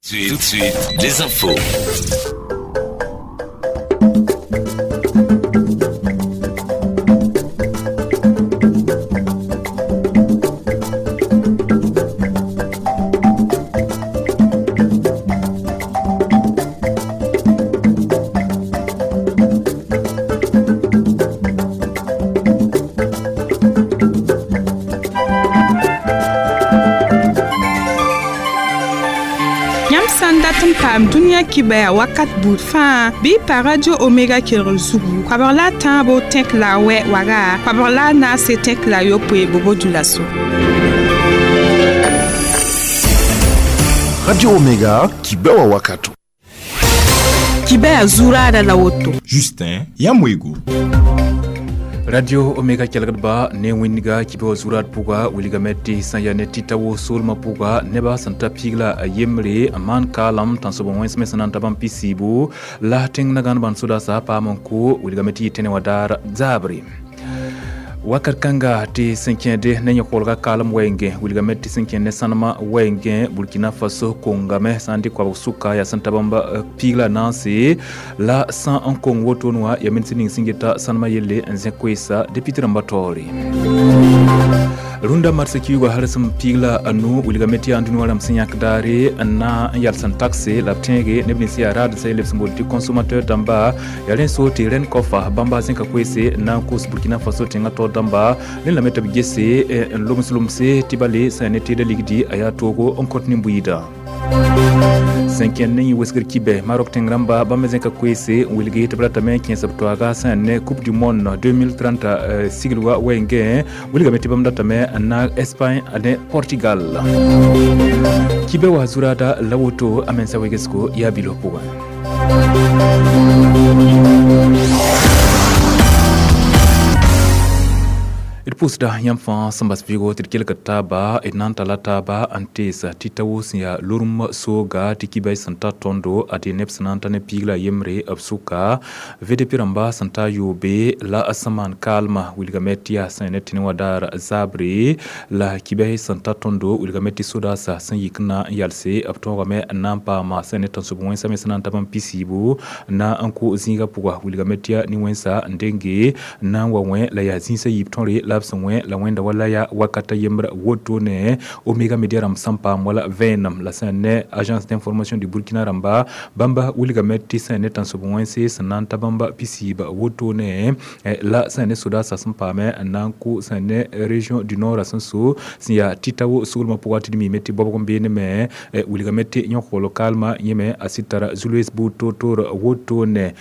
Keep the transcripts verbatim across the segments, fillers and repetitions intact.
Tout de suite, les infos. Paam dũniyã kibaya wakat buud fãa bɩ pa Radio Omega kelgr zugu koabg la a tãabo tẽk la a wɛ waga koabg la a naase tẽk la a yopoe bobo-dulaso. Radio Omega kibewa wakato. Kibaya zuraada la woto. Justin Yamwego. Radio Omega kelgdba ne wĩnga kibe zurat pʋga wilgame tɩ sẽn yaa ne tɩta wo soolmã pʋga nebã sẽn ta piig la a yembre n maan kaalem tãnsoab wẽns me sẽn na n ta bãmb pisiibu la tẽng nagãn bãnd sodaasa paam n ko wilgame tɩ yɩ tẽne wã daar zaabre. Wakat kãnga tɩ sẽn kẽede ne yõ-koolga kaalem wɛɛngẽ wilgame tɩ sẽn kẽ ne sãnemã wɛɛngẽ Burkina Faso kongame sã n dɩ koabg sʋka yaa sẽn ta bãmb piig la naase la sã n kong wotone wã yaa minsẽ ning sẽn geta sãnemã yelle n zẽ koeesa député rãmbã taoore. Rũndã marsã kiuugã hal sẽn piig la a nu wilgame tɩ yaa dũni wã rãmb sẽn yãk daare n na n yals n takse la b tẽege neb nins yaa raad sã lebs n boond tɩ consommateur dãmba yaa rẽ so tɩ rẽnd kofa bãmba zẽka koeese n na n kos Burkina Faso tẽngã taoor dãmba rẽ lame tɩ b gese n loms lomse tɩ bale sã ne tɩɩda ligdi a yaa toogo n kõt nin-buiidã. Sẽn kẽnd ne yẽ wesgr kibe Maroc tẽng rãmba bãmb me zẽka koeese n wilgi tɩ b ratame n kẽes b toaaga sã n ne Coupe du monde deux mille trente siglga wɛɛngẽ wilgame tɩ bãmb datame n naag Espagne ne Portugal. Kibe wa zuraada la woto a mensa wegesgo yaa bilo pʋgẽ. D pʋʋsda yãmb fãa sẽn bas vɩɩgo tɩ d kelgd taaba d na n talla taaba n teesa tɩ ta wo sẽn yaa lorem sooga tɩ kibay sẽn ta tõndo ad neb sẽn na n ta ne piig la yembre b sʋka V D P rãmba sẽn ta yoobe la a sẽn maan kaalmã wilgame tɩ yaa sẽn ne tẽne wã daar zaabre la kibay sẽn ta tõndo wilgame tɩ sodaasa sẽn yik n na n yalse b tõogame n na n paama sẽn ne tãnsoab wẽnsa me sẽn na n ta bãmb pisiibu n na n kʋ zĩigã pʋga wilgame tɩ yaa nin-wẽnsa n denge n na n wa wẽ la yaa zĩisã yiib tõre la b sẽn wẽ la wẽnda wala yaa wakata yembr wotone Omega Media rãmb sẽn paam wala vẽenem la sẽn ne Agence d'information du Burkina rãmba bãmba wilgame tɩ sẽn ne tãnsoab wẽnse sẽn na n ta bãmba pisiiba wotone la sẽn ne sodaasã sẽn paame n na n kʋ sẽn ne région du nord sẽn so sẽn yaa tɩta wo soolmã pʋga tɩ d miime tɩ baobg n beene me wilgame tɩ yõ-koogl kaalmã yẽme a sɩd tara zu-loees buud toor-toor wotone.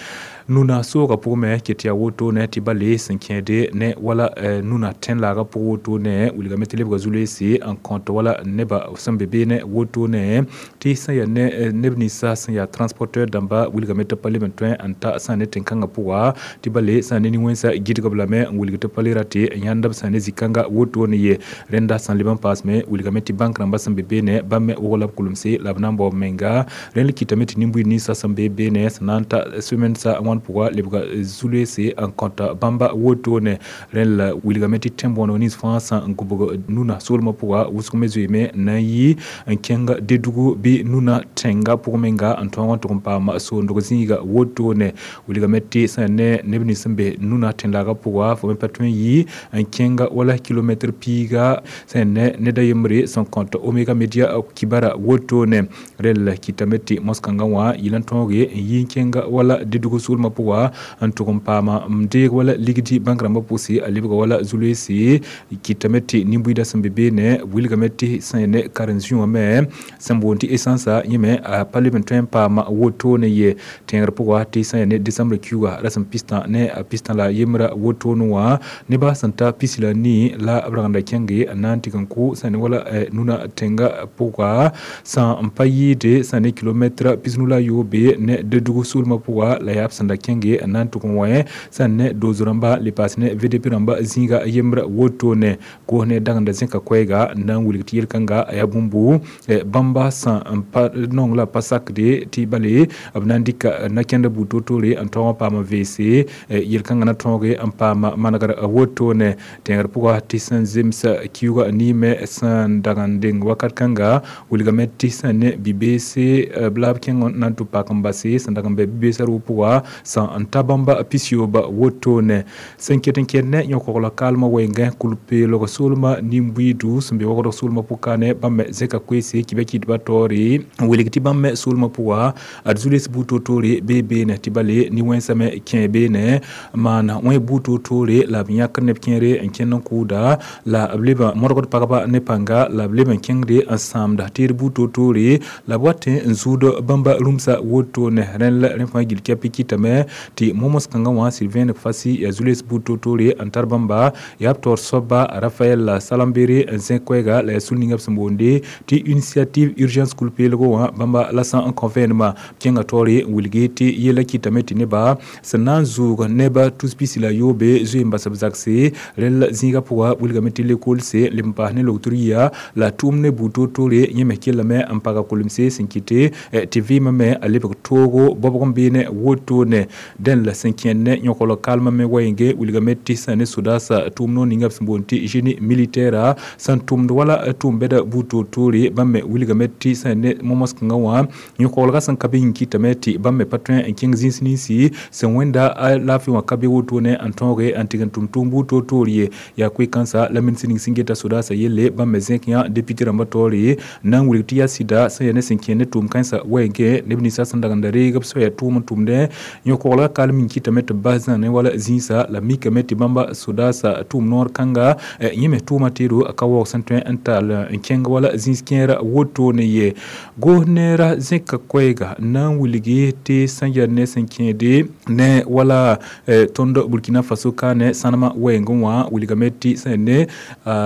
Nuna sooga pʋgẽ me ket yaa wotone tɩ bale sẽn kẽede ne wala nuna tẽn-laagã pʋg wotone wilgame tɩ lebga zu-loeese n kõt wala nebã sẽn be beene wotone tɩ sẽn yaa ne neb ninsã sẽn yaa transporteur dãmba wilgame tɩ pa leb n tõe n ta sã ne tẽn-kãngã pʋga tɩ bale sã ne nin-wẽnsã gɩdgb lame n wilg tɩ pa le ra tɩ n yãnd b sã ne zĩ-kãnga wotone ye rẽnda sẽn leb n paasme wilgame tɩ bank rãmbã sẽn be beene bãmb me wog la b kulemse la b na n bao b menga rẽnd kɩtame tɩ nin-buiid ninsã sẽn be beene sẽn na n ta semaine sã wãn pʋga lebga zu-loeese n kõta bãmba wotone rẽnd la wilgame tɩ tẽn-bõoneg nins fãa sã n gũbg nuna soolmã pʋga wʋsg me zoeeme n na n yɩ n kẽng Dedugu bɩ nuna tẽngã pʋg menga n tõog n tʋg n paam soondg zĩiga wotone wilgame tɩ sẽn ne neb nins sẽn be nuna tẽn-laagã pʋga fo me pa tõe n yɩ n kẽng wala kilomɛtr piiga sẽn ne ned a yembre sẽn kõt Omega Media kibara wotone rẽnd la kɩtame tɩ mos-kãngã wã yɩl n tõoge n yɩ n kẽng wala Dedugu soolmã pʋga n tʋg n paama n deeg wala ligdi bãnk rãmbã pʋgse a lebga wala zu-loeese kɩtame tɩ nin-buiidã sẽn be beene wilgame tɩ sẽn ne karen-zĩ wã me sẽn boond tɩ essence yẽme a pa leb n tõe n paama wotone ye tẽegr pʋga tɩ sẽn ne décembre kiuugã rasem pistã ne a pistã la yembrã wotone wã nebã sẽn ta pisi la nii la b ragenda kẽnge n na n tɩg n kʋ sẽn ne wala nuna tẽngã pʋga sã n pa yɩɩde sẽn ne kilomɛtra pisnu la a yoobe ne Dedugu soolmã pʋga la yaa b sẽn sẽn da kẽnge n na n tʋg n wẽ sẽn ne doos rãmba le paas ne V D P rãmba zĩiga yembr wotone goos ne dagenda zẽka koɛɛga n na n wilg tɩ yel-kãnga a yaa bũmbu bãmba sẽn n pa nong la pa sakde tɩ bale b na n dɩka na-kẽndã buud toor-toore n tõog n paam n veese yel-kãngã na tõoge n paam manegr wotone tẽegr pʋga tɩ sẽn zems kiuugã niime sẽn dag n deng wakat kãnga wilgame tɩ sẽn ne bi-beese b la b kẽng n na n tʋ pak n base sẽn dag n bɛ bi-beesã rʋʋg pʋga sẽn n ta bãmba pisiyoob wotone sẽn ket n kẽd ne yõ-kogl kaalmã wɛɛngẽ kul-peelg soolmã nin-buiidu sẽn be wagdg soolmã pʋka ne bãmb me zẽka koeese kɩ kɩdbã taoore n wilg tɩ bãmb me soolmã pʋga ad zu-les buud toor-toore bee beene tɩ bale nin-wẽnsã me kẽ beene maan wẽ buud toor-toore la b yãkd neb kẽere n kẽnd n kʋʋda la b leb n modgd pagba ne pãnga la b leb n kẽngde n sãamda teed buud toor-toore la b wat n zũud bãmba rũmsa wotone rẽnd la rẽ fãa gill kɛpɩ kɩtame tɩ momos kãngã wã Sylvain Fassi yaa zu-les buud toor-toore n tar bãmba yaa b taoor soaba Raphaël Salambere n zẽk koɛɛga la yaa sul ninga b sẽn boonde tɩ initiative urgence kul-peelgo wã bãmba la sã n kõ vẽenemã kẽnga taoore n wilgi tɩ yɛla kɩtame tɩ neba sẽn na n zʋʋg neba tus pisi la yoobe zoe n bas b zakse rẽnd la zĩigã pʋga wilgame tɩ lekolse leb n paas ne logtr yia la tʋʋm ne buud toor-toore yẽ me kellame n paga kolemse sẽn kɩte tɩ vɩɩmã me a lebg toogo bɔbg n beene wotone dẽn la sẽn kẽnd ne yõkl kalmã me wɛɛnge wilgame tɩ sẽn ne sodasa tʋʋm noor ninga b sẽn boond tɩ génie militaire sẽn tʋmd wala tʋʋm bɛda buud toor-toore bãmb me wilgame tɩ sẽn ne momos kãngã wã yõkoglga sẽn ka be yĩn kɩtame tɩ bãmb me pa tõe n kẽng zĩis ninsi sẽn wẽnda laafɩ wã ka be wotone n tõoge n tɩg n tʋm tʋʋm buud toor-toor ye yaa koe-kãnsa la minis ning sẽn geta sodasa yelle bãmb me zẽk yã député rãmbã taoore n na n wilg tɩ yaa sɩda sẽn yaa ne sẽn kẽ ne tʋʋm kãensã wɛɛngẽ neb ninsã sẽn dag n da reeg b soaya tʋʋm n tʋmdẽ yõkoglga kalem yĩn kɩtame tɩ b bas zãnẽ wala zĩisa la mikame tɩ bãmba sodasa tʋʋm noor kãnga yẽ me tʋʋma teedo a ka waoog sẽn tõe n tall n kẽng wala zĩis kẽera wotone ye goos neera zẽka koɛɛga n na n wilgi tɩ sẽn yaa ne sẽn kẽede ne wala tõnd Burkina Faso ka ne sãnemã wɛɛngẽ wã wilgame tɩ sẽn ne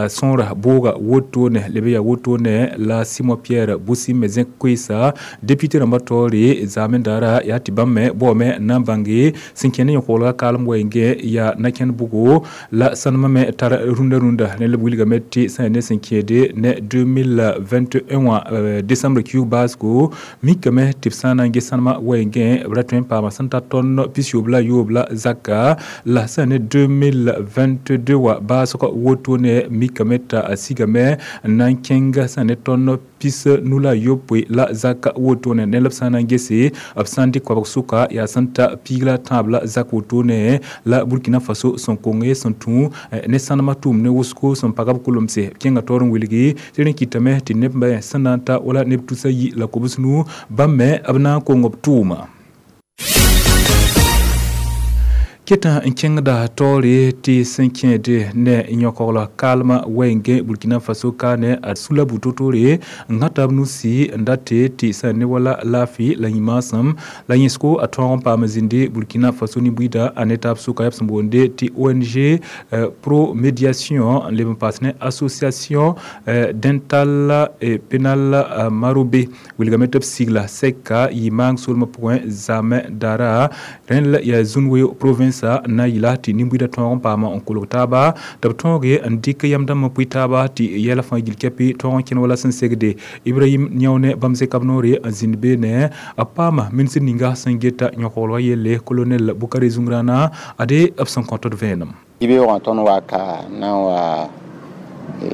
sõora booga wotone leb yaa wotone la Simon Pierre Boussim me zẽk koeesa député rãmbã taoore zaamẽ daara yaa tɩ bãmb me baoome n na n bãnge sẽn kẽ ne yõkoglga kaalem wɛɛngẽ yaa na-kẽnd bʋgo la sãnemã me tar rũndã rũndã ne la b wilgame tɩ sẽn ne sẽn kẽede ne deux mille vingt et un wã décembre kiuug baasgo mikame tɩ b sã n na n ges sãnemã wɛɛngẽ b ra tõe n paama sẽn ta tõnd pisiyoob la yoob la zaka la sẽn ne deux mille vingt deux wã baasg wotone mikame t'a sigame n na n kẽng sẽn ne tõnd pis nu la yopoe la zaka wotone ne la b sã n na n gese b sã n dɩk koabg sʋka yaa sẽn ta piig la tãab la zak wotone la Burkina Faso sẽn konge sẽn tũ ne sãnemã tʋʋm ne wʋsgo sẽn pag b kolemse b kẽnga taoor n wilgi tɩ rẽ kɩtame tɩ neb me sẽn na n ta wala neb tusa yi la kobs nu bãmb me b na n kong b tʋʋma keta n kẽngda taoore tɩ sẽn kẽede ne yõkogl kaalmã wɛɛngẽ Burkina Faso ka ne a sula buud toor-toore n gãta b nusi n date tɩ sẽn ne wala laafɩ la yĩmaasem la yẽsgo a tõog n paam zĩnde Burkina Faso nin-buiida a ne taab sʋka yaa b sẽn boonde tɩ O N G Pro Médiation n leb n paas ne Association Dental et Pénal Marobe wilgame tɩ b sigla sɛka yɩ maang soolmã pʋgẽ zaamẽ daara rẽnd la yaa Zũn-weo province na yɩla tɩ nin-buiidã tõog n paama n kolg taaba tɩ b tõoge n dɩk yam dãmbã pʋɩ taaba tɩ yɛla fãa gill kɛpɩ tõog n kẽn wala sẽn segde Ibrahim Niaone bãmb zẽka b noore n zĩnd beene b paama minisr ninga sẽn geta yõkoglgã yelle colonel Bukare Zungrana ade b sẽn kõt d vẽenem yibeoogã tõnd wa ka na n wa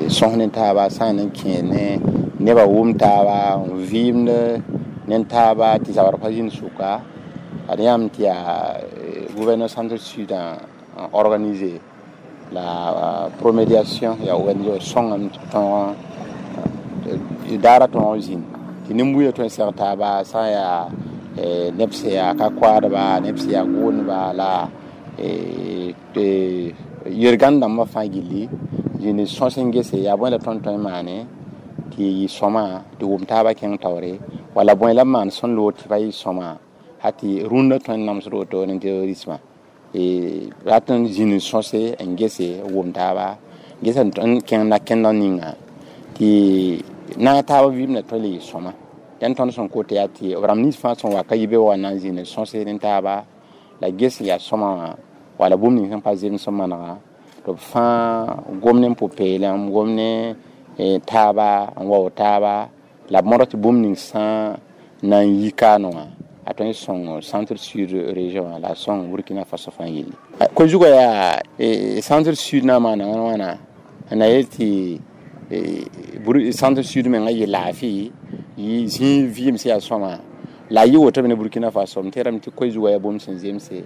sõs ne taaba sã n kẽ ne nebã wʋm taaba n vɩɩmd ne taaba tɩ zabr pa zĩnd sʋka ad yãmb tɩ yaa gouverneur centre sud n organisé la promédiation yaa O N G sõngame tɩ tõog daara tõog zĩnd tɩ nin-buiidã tõe n seg taaba sã n yaa neb sẽn yaa ka koaadba neb sẽn yaa gʋʋndba la yel-gãnd dãmbã fãa gilli zĩnd sõs n gese yaa bõe la tõnd tõe n maane tɩ yɩ sõma tɩ wʋm taabã kẽng taoore wala bõe la b maan sẽn loog tɩ pa yɩ sõma ha tɩ rũndã tõe n namsd woto ne terrorismã rat n zĩnd sõse n gese wʋm taaba gesa n kẽng na-kẽndã ninga tɩ naag taabã vɩɩmdã tõe le yɩ sõma yãn tõnd sẽn kot yaa tɩ b rãmb nins fãa sẽn wa ka yibe wa na n zĩnd sõse ne taaba La ges yaa sõma wã wala bũmb ning sẽn pa zems n manega tɩ b fãa gom ne pʋ-peelem gom ne taaba n wao taaba la b modg tɩ bũmb ning sã na n yi kaane wã a tõe n sõng centre sud région wã la a sõng Burkina Faso fãa yelle ko-zugã yaa centre sud na n maana wãn wãna n na yel tɩ centre sud mengã yɩ laafɩ yɩ zĩig vɩɩm sẽn yaa sõma la a yɩ woto me ne Burkina Faso m tẽedame tɩ koe-zugã yaa bũmb sẽn zemse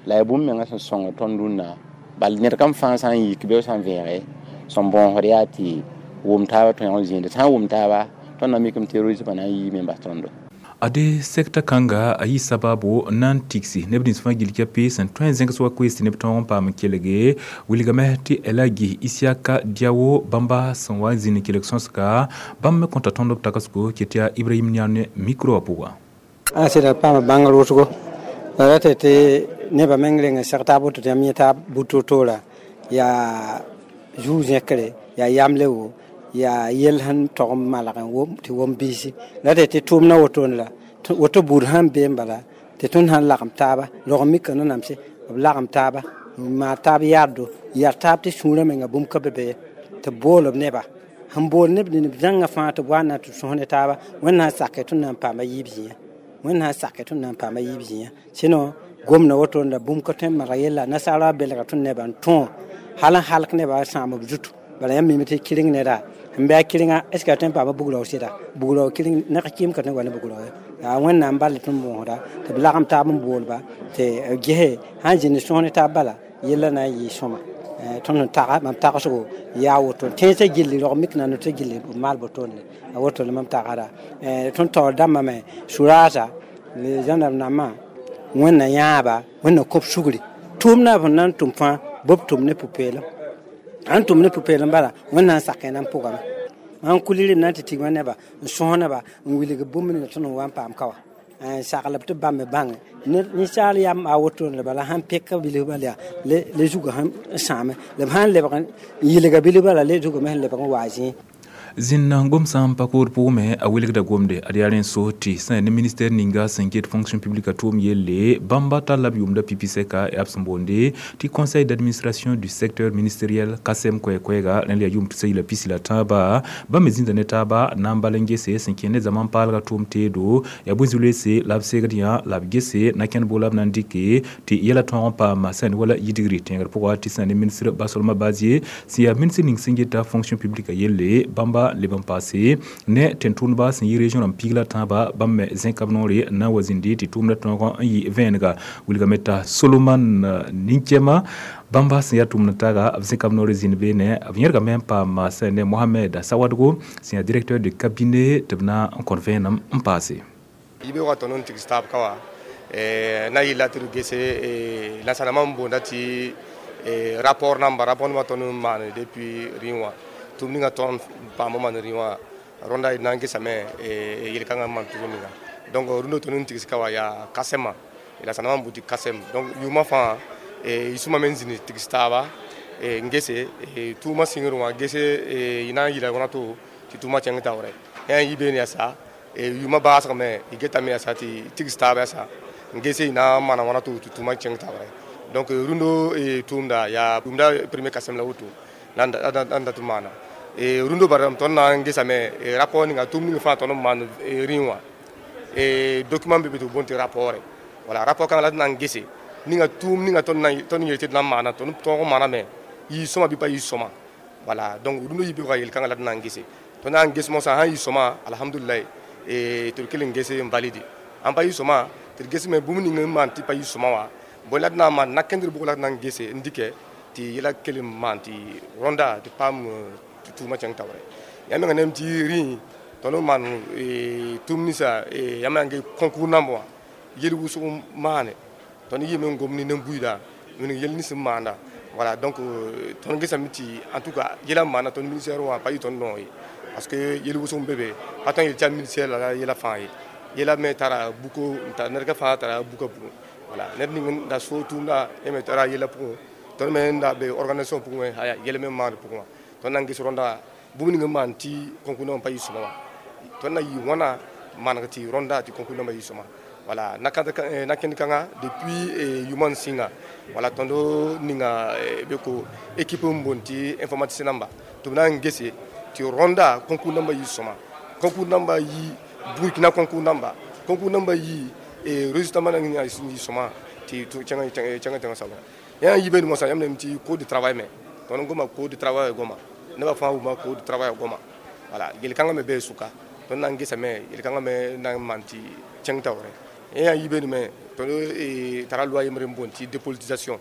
la yaa bũmb mengã sẽn sõng tõnd rũnnã bal ned kam fãa sã n yik bɩ sã n vẽege sẽn bõosd yaa tɩ wʋm taaba tõe n zĩinde sã n wʋm taaba tõnd na mikame terrorismã na n yiime n bas tõndo. Ade sekta kãnga a yɩ sabaabo n na n tigsi neb nins fãa gill kɛpɩ sẽn tõe n zẽgs wa koees tɩ neb tõog n paam n kelge wilgame tɩ Elagi Isiaka Diawo bãmba sẽn wa n zĩnd n kelg sõsga bãmb me kõta tõnd b tagsgo ket yaa Ibrahim Niane micro wã pʋga. A sɩda paama bãngr wʋsgo la ra tɩ tɩ nebã meng reng n seg taab woto tɩ yãmb yẽ butotoora yaa zuu-zẽkre yaa yamle wo yaa yell sẽn tog n malg n wom tɩ wom biisi la tɩ tɩ tʋʋmdã wotone la woto buud sãn bee n bala tɩ tõnd sãn lagem taaba rog mika nanamse b lagem taaba n maan taab yaaddo yar taab tɩ sũurã menga bũmb ka be be tɩ b bool b neba sẽn bool neb neb zãngã fãa tɩ b wa n na tɩ sõs ne taaba Wẽnnaam sake tõnd na n paama yiib zĩyã Wẽnnaam sake tõnd na n paama yiib zĩyã sɩno gomda wotone la bũmb ka tõe n maneg yella nasaara belga tõnd nebã n tõo hal n halk nebã sãam b zutu bala yãmb mime tɩ kɩreng neda n bɩ a kɩrenga est ce que a tõe n paama bugrao sɩda bugrao kɩreng neg kɩɩm ka tõe n wa ne bugrao ye yaa Wẽnnaam bal tɩ tõnd bõosda tɩ b lagem taab n boolba tɩ gese sãn zĩnd sõs ne taab bala yella na n yɩ sõma tõnd sẽn taga mam tagsgo yaa woto tẽnsã gilli rog mik na tɩ gilli b maal botone a woto la mam tagsda tõnd taoor dãmbã me suraasa zãnab nambã Wẽnna yãaba Wẽnna kõb sugri tʋʋmdã b sẽn na n tʋm fãa b tʋm ne pʋ-peelem ãn tʋm ne pʋ-peelem bala Wẽnnaam sak na n pʋgame mam kulir na n tɩ tigma neba n sõs neba n wilg bũmb ninga tõnd n wa n paam ka wã n saglb tɩ bãmb me bãnge ninsaal yam a wotone la bala sãn peka bilf bala yaa le zugã sẽn sãame la b sãn lebg n yɩlga bilf bala le zugame sẽn lebg n waa zĩig. Zĩnna gomsã n pa kood pʋgme a wilgda gomde ad yaa rẽ so tɩ sẽn ne ministère ninga sẽn get fonction publique a tʋʋm yelle bãmba talla b yʋʋmda pipi sɛka yaa b sẽn boonde tɩ conseil d'administration du secteur ministériel kasem koɛɛ-koɛɛga rẽnd yaa yʋʋm tusa yila pisi la tãaba bãmb me zĩnda ne taaba na n bal n gese sẽn kẽ ne zaman paalga tʋʋm teedo yaa bõe-zu-loeese la b segd yã la b gese na kẽnd bʋg la b na n dɩke tɩ yɛla tõog n paama sẽn wala yidgri tẽegr pʋga tɩ sẽn ne ministre Basolma Bazie sẽn yaa ministre ning sẽn geta fonction publique a yelle bãmba leb n paase ne tẽn-tʋʋmdba sẽn yɩ région rãmb piig la tãaba bãmb me zẽka b noore n na n wa zĩndi tɩ tʋʋmdã tõog n yɩ vẽenega wilgame t'a Solomon Ninkema bãmba sẽn yaa tʋʋmd taaga b zẽka b noore zĩnd beene b yẽrgame n paam sẽn ne Mohamed Sawadgo sẽn yaa directeur de cabinet tɩ b na n kõt vẽenem n paase. Yibeoogã tõnd n tigs taab ka wã na n yɩlla tɩ d gese nansãnamã n boonda tɩ rapport namba rapport nima tõnd n maan depuis rĩ wã tʋm ninga tõnd paam n maan rĩ wã rõnda d na n gesame yel-kãngã n maan tʋʋm ninga donc rũndã tõnd n tigs ka wã yaa kasɛmã la sãnamã n buti kasɛm donc yʋʋmã fãa yisũmã me n zĩnd tigs taaba n gese tʋʋmã sɩngr wã gese y na n yɩla wãna to tɩ tʋʋmã kẽng taoorɛ yã n yɩ beene yaa sa yʋʋmã baasgame y getame yaa sa tɩ tigs taaba yaa sa n gese y na n maana wãna to tɩ tʋʋmã kẽng taoorɛ donc rũndo tʋʋmda yaa yʋʋmda premier kasɛm la woto la n dat n maana rũndo bara tõnd na n gesame rapport ninga tʋʋm ning fãa tõnd n maan rĩ wã document be be tɩ b boond tɩ rapport voilà rapport kãngã la d na n gese ninga tʋʋm ninga tõnd yel tɩ d na n maana tõnd tõog n maaname yɩ sõma bɩ pa yɩ sõma voilà donc rũndã yibeoogã yel-kãngã la d na n gese tõnd na n ges mosã sãn yɩ sõma alhamdulillah tɩ d kell n gese n valide ãn pa yɩ sõma tɩ d gesme bũmb ning n maan tɩ pa yɩ sõma wã bõe la d na n maan na-kẽndr bʋg la d na n gese n dɩkɛ tɩ yɛla kell n maan tɩ rõnda tɩ paam tɩ tʋʋmã kẽng taoorɛ yã menga nem tɩ rĩ tõnd n maan tʋʋm ninsã yãmb na n ges concours namb wã yel wʋsg maane tõnd yɩɩme n gom ne nen-buiida wilg yel nins n maanda voilà donc tõnd gesame tɩ en tout cas yɛla n maana tõnd ministère wã pa yɩ tõnd noog ye parce que yel wʋsg n be be pa tõe n yel tɩ yaa ministère la yɛla fãa ye yɛla me tara buko ned ka fãa tara buka pʋgẽ voilà ned ning n da so tʋʋmda yẽ me tara yɛla pʋgẽ tõnd me n da be organisation pʋgẽ aya yɛl me n maand pʋgẽ wã tõnd na n ges rõnda bũmb ning n maan tɩ concours nambã pa yɩ sõma wã tõnd na yɩ wãna maneg tɩ rõnda tɩ concours nambã yɩ sõma. Voilà, nakend kãngã depuis yʋʋmã sɩnga, wala tõnd ninga be ko équipe n boond tɩ informaticien namba tɩ b na n gese tɩ rõnda concours namba yɩ sõma, concours namba yɩ Burkina, concours namba concours namba yɩ résultat namba na yɩ sõma tɩ kẽngã tẽngã soabã yã yibe mosã. Yãmb nem tɩ code de travail me tõnd goma code de travail goma nebã fãa wʋma code de travail goma. Voilà, yel-kãngã me bee sʋka tõnd na n gesame yel-kãngã me na n maan tɩ kẽng taoorẽ. Yã yibe me tõnd tara loi yembre n boond tɩ dépolitisation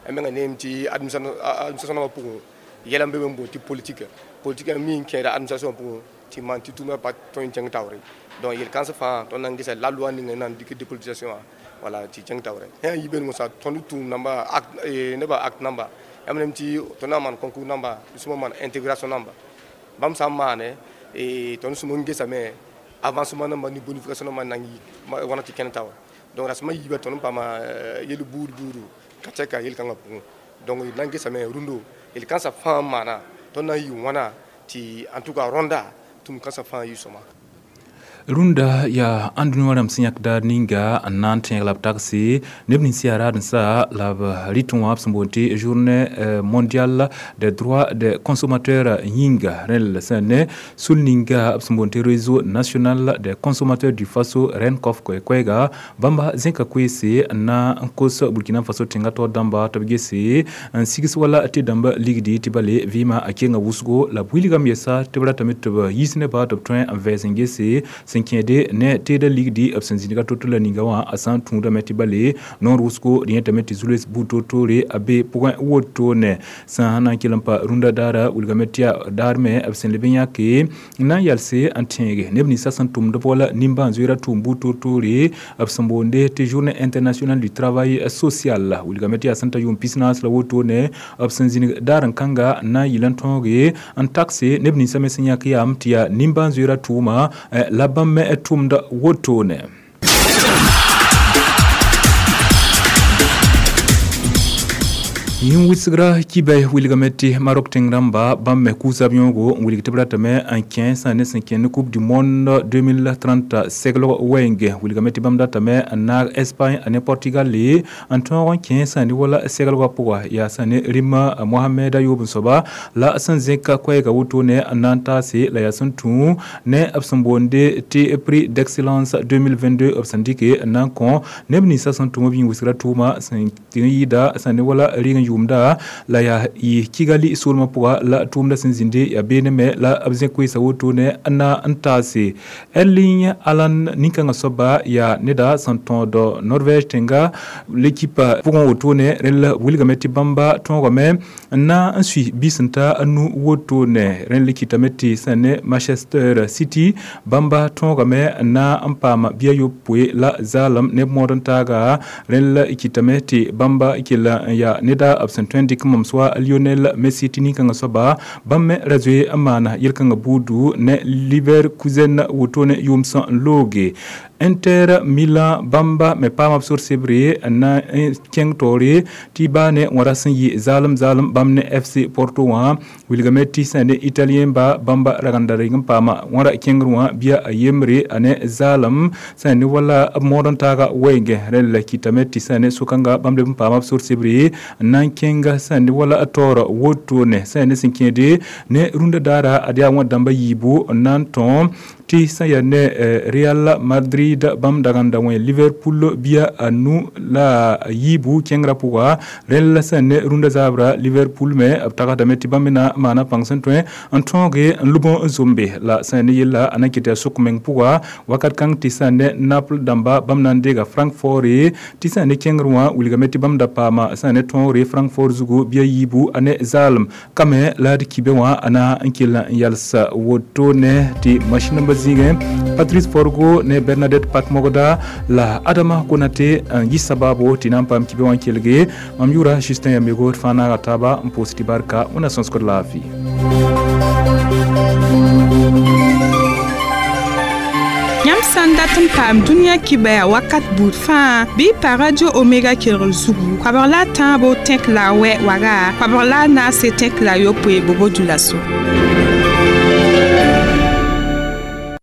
menga neem tɩ administration nambã pʋgẽ yɛla n be be n boond tɩ politique politique mi n kẽeda administration pʋgẽ tɩ maan tɩ tʋʋmã pa tõe n kẽng taoore. Donc yel-kãens fãa tõnd na n gesa la loi ning n na n dɩk dépolitisation wã, voilà, tɩ kẽng taoore. Yã yibe mosã tõnd tʋʋm namba nebã acte namba yãmb nem tɩ tõnd na n maan concours namba sũma maan intégration namba bãmb sã n maane tõnd sũm n gesame avancement namba ne bonification namba n na n yi wãna tɩ kẽnd taoore. Donc rasẽmã yiibã tõnd n paama yel buud buudu ka tɛka yel-kãngã pʋgẽ. Donc d na n gesame rũndo yel-kãensã fãa n maana tõnd na n yɩ wãna tɩ en tout cas rõnda tʋm-kãensã fãa yɩ sõma. Rũndã yaa ãndũniyã wã rãmb sẽn yãk daar ninga n na n tẽeg la b tagse neb nins yaa raadensã la b rɩtẽ wã b sẽn boond tɩ journée mondiale des droits des consommateurs yĩnga. Rẽnd sẽn ne sul ninga b sẽn boond tɩ Réseau national des consommateurs du Faso, RENCOF, koɛ-koɛɛga bãmba zẽka koeese n na n kos Burkina Faso tẽngã taoor dãmba tɩ b gese n sigs wala tɩ dãmba ligdi tɩ bale vɩɩmã a kenga wʋsgo la b wilgame yɛsa tɩ b ratame tɩ b yiis nebã tɩ b tõe n vɛɛs n gese sẽn kẽede ne teedã ligdi b sẽn zĩniga to-to la ninga wã a sã n tũudame tɩ bale noor wʋsgo d yẽtame tɩ zu-loees buud toor-toore a be pʋgẽ wotone. Sã n na n kell n pa rũndã daara wilgame tɩ yaa daar me b sẽn leb n yãke n na n yalse n tẽege neb ninsã sẽn tʋmd b wala nimbãan-zoeerã tʋʋm buud toor-toore b sẽn boonde tɩ journée internationale du travail social. Wilgame tɩ yaa sẽn ta yʋʋm pis-naas la wotone b sẽn zĩnig daar n kãnga n na n yɩl n tõoge n takse neb ninsã me sẽn yãk yaam tɩ yaa nimbãan-zoeerã tʋʋma la bãmb me tʋmda wotone. Yĩn wɩsgra kibɛ wilgame tɩ Marok tẽng rãmba bãmb me kʋʋsa b yõogo n wilg tɩ b ratame n kẽ sã ne sẽn kẽ ne Coupe du monde deux mille trente seglg wɛɛnge. Wilgame tɩ bãmb datame n naag Espagne ne Portugal n tõog n kẽ sã ne wala seglgã pʋga yaa sã ne rĩmã Mohamed Ayoob n soaba la sẽn zẽka koɛɛga wotone n na n taase la yaa sẽn tũ ne b sẽn boonde tɩ prix d'excellence deux mille vingt-deux b sẽn dɩke n na n kõ neb ninsã sẽn tʋm b yĩn wɩsgrã tʋʋma sẽn tɩ n yɩɩda sã ne wala rɩg n yʋʋmda la yaa yɩ Kigali soolmã pʋga la tʋʋmdã sẽn zĩnde yaa beene me la b zẽ koeesa wotone n na n taase. Erling Haaland nin-kãngã soaba yaa neda sẽn tõod Norvège tẽnga l'équipe pʋgẽ wotone. Rẽnd la wilgame tɩ bãmba tõogame n na n sui biisẽ-ta a nu wotone. Rẽnd le kɩtame tɩ sẽn ne Manchester City bãmba tõogame n na n paama bia yopoe la zaalem neb mood n taaga. Rẽnd la kɩtame tɩ bãmba kell n yaa neda b sẽn tõe n dɩk mam soa Lionel Messi tɩ nin-kãngã soaba bãmb me ra zoe n maana yel-kãngã buudu ne Leverkusen wotone yʋʋm sẽn n looge. Inter Milan bãmba me paama b sor sebre n na n kẽng taoore tɩ baa ne wãra sẽn yɩ zaalem zaalem bãmb ne F C Porto wã. Wilgame tɩ sã ne italien ba bãmba ragenda reng n paama wãra kẽngr wã bia a yembre a ne zaalem sã ne wala b mood n taaga wɛɛngẽ. Rẽnd la kɩtame tɩ sã ne sokãnga bãmb leb n paama b sor sebre n na n kẽnga sã ne wala taoor wotone. Sã ne sẽn kẽede ne rũndã daara ad yaa wã dãmba yiibu n na n tõ tɩ sã yaa ne Real Madrid bãmb dagenda wẽ Liverpool bia a nu la yiibu kẽngrã pʋga. Rẽnd la sã ne rũndã zaabra Liverpool me b tagsdame tɩ bãmb me na maana pãng sẽn tõe n tõoge n lub n zombe la sã ne yella a na n kɩt yaa sʋk meng pʋga wakat kãng tɩ sã ne Naples dãmba bãmb na n deega Francfort tɩ sã ne kẽngr wã wilgame tɩ bãmb da paama sã ne tõogre Francfort zugu bia yiibu a ne zaalem kame la d kibe wã a na n kell n yalsa wotone. Tɩ machine namba zĩigẽ Patrice Forgo ne Bernadette Pakmogda la Adama Konate n yɩ sabaabo tɩ na n paam kibe wã n kelge. Mam yʋʋra Justin Yamego d fãa naaga taaba n pʋʋs tɩ barka wẽnna sõsgd laafɩ. Yãmb sã n dat n paam dũniyã kibɛa wakat buud fãa bɩ y pa Radio Omega kelgr zugu koabg la a tãabo tẽk la a wɛ waga koabg la a naase tẽk la a yopoe bobo dulaso.